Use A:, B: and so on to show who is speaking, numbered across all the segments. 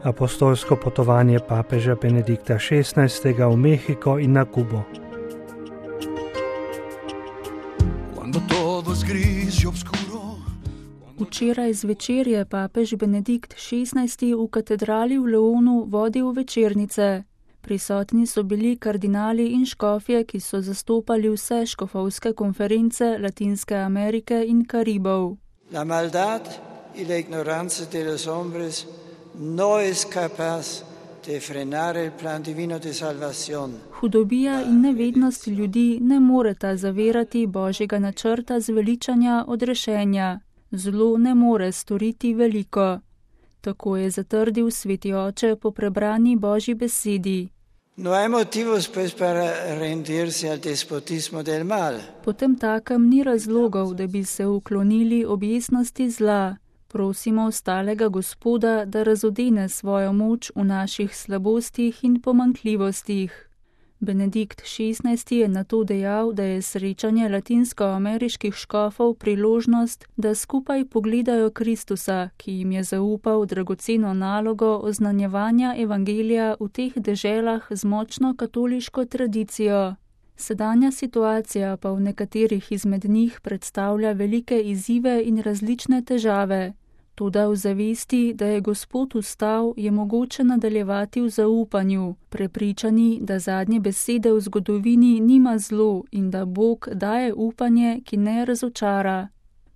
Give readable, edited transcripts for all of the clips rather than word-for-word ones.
A: Apostolsko potovanje papeža Benedikta XVI. V Mehiko in na Kubo.
B: Včeraj zvečer je papež Benedikt XVI. V katedrali v Leonu vodil večernice. Prisotni so bili kardinali in škofje, ki so zastopali vse škofovske konference Latinske Amerike in Karibov.
C: La maldad y la ignorancia de los hombres no es capaz de frenar el plan divino de salvación.
B: Hudobija in nevednost ljudi ne moreta zavirati Božjega načrta zveličanja odrešenja. Zlo ne more storiti veliko. Tako je zatrdil sveti oče po prebrani Božji besedi.
C: No hay motivos pues para rendirse al despotismo del mal.
B: Potem takem ni razlogov, da bi se uklonili objestnosti zla. Prosimo ostalega Gospoda, da razodene svojo moč v naših slabostih in pomanjkljivostih. Benedikt XVI. Je nato dejal, da je srečanje latinskoameriških škofov priložnost, da skupaj pogledajo Kristusa, ki jim je zaupal dragoceno nalogo oznanjevanja evangelija v teh deželah z močno katoliško tradicijo. Sedanja situacija pa v nekaterih izmed njih predstavlja velike izzive in različne težave. Toda v zavesti, da je Gospod vstal, je mogoče nadaljevati v zaupanju, prepričani, da zadnje besede v zgodovini nima zlo in da Bog daje upanje, ki ne razočara.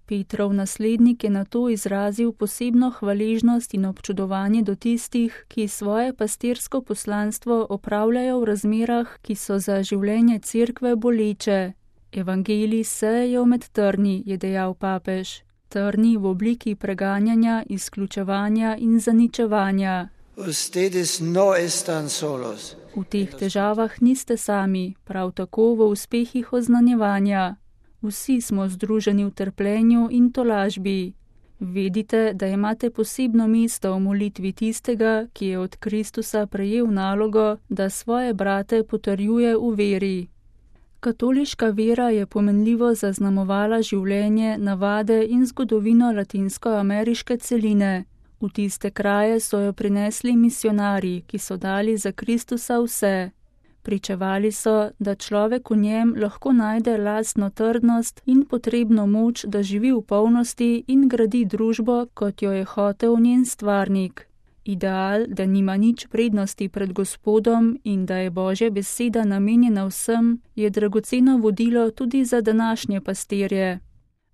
B: Petrov naslednik je nato izrazil posebno hvaležnost in občudovanje do tistih, ki svoje pastirsko poslanstvo opravljajo v razmerah, ki so za življenje cerkve boleče. Evangelij sejejo med trni, je dejal papež. Trni v obliki preganjanja, izključevanja in zaničevanja. V teh težavah niste sami, prav tako v uspehih oznanjevanja. Vsi smo združeni v trpljenju in tolažbi. Vedite, da imate posebno mesto v molitvi tistega, ki je od Kristusa prejel nalogo, da svoje brate potrjuje v veri. Katoliška vera je pomenljivo zaznamovala življenje, navade in zgodovino latinskoameriške celine. V tiste kraje so jo prinesli misionarji, ki so dali za Kristusa vse. Pričevali so, da človek v njem lahko najde lastno trdnost in potrebno moč, da živi v polnosti in gradi družbo, kot jo je hotel njen stvarnik. Ideal, da nima nič prednosti pred Gospodom in da je Božja beseda namenjena vsem, je dragoceno vodilo tudi za današnje pastirje.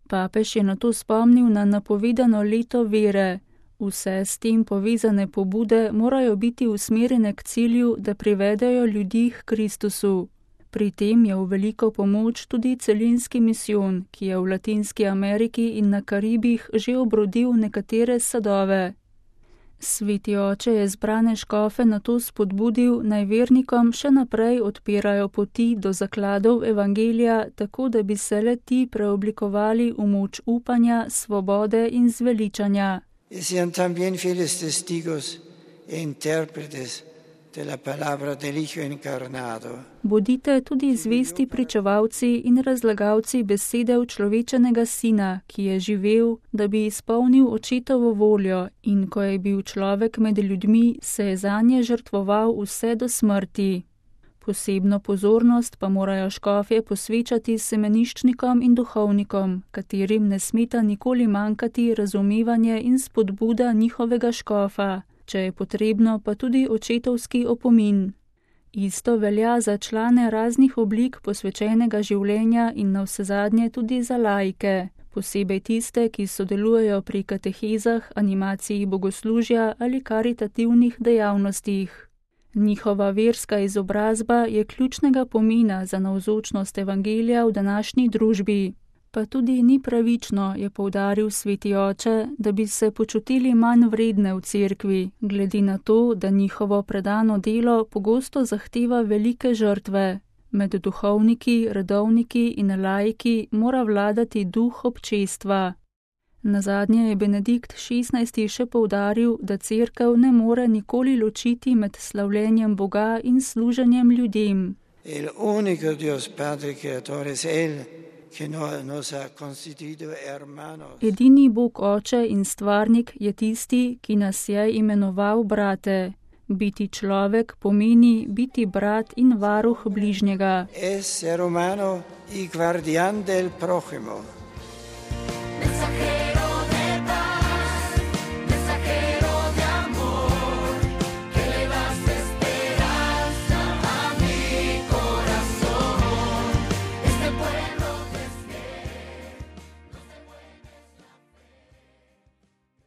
B: Papež je nato spomnil na napovedano leto vere. Vse s tem povezane pobude morajo biti usmerjene k cilju, da privedejo ljudi k Kristusu. Pri tem je v veliko pomoč tudi celinski misijon, ki je v Latinski Ameriki in na Karibih že obrodil nekatere sadove. Sveti oče je zbrane škofe nato spodbudil, naj vernikom še naprej odpirajo poti do zakladov evangelija, tako da bi se le ti preoblikovali v moč upanja, svobode in zveličanja.
C: Sean también fieles testigos e intérpretes de la palabra del Hijo encarnado.
B: Bodite tudi zvesti pričevalci in razlagalci besede človečenega sina, ki je živel, da bi izpolnil očetovo voljo in ko je bil človek med ljudmi, se je zanje žrtvoval vse do smrti. Posebno pozornost pa morajo škofje posvečati semeniščnikom in duhovnikom, katerim ne smeta nikoli manjkati razumevanje in spodbuda njihovega škofa, če je potrebno pa tudi očetovski opomin. Isto velja za člane raznih oblik posvečenega življenja in navsezadnje tudi za laike, posebej tiste, ki sodelujejo pri katehezah, animaciji bogoslužja ali karitativnih dejavnostih. Njihova verska izobrazba je ključnega pomena za navzočnost evangelija v današnji družbi. Pa tudi ni pravično, je poudaril sveti oče, da bi se počutili manj vredne v cerkvi, glede na to, da njihovo predano delo pogosto zahteva velike žrtve. Med duhovniki, redovniki in laiki mora vladati duh občestva. Nazadnje je Benedikt XVI. Še poudaril, da cerkev ne more nikoli ločiti med slavljenjem Boga in služenjem ljudem.
C: El único Dios Padre Creador es Él,
B: Edini Bog Oče in Stvarnik je tisti, ki nas je imenoval brate. Biti človek pomeni biti brat in varuh bližnjega.
C: Essere umano i guardian del prossimo.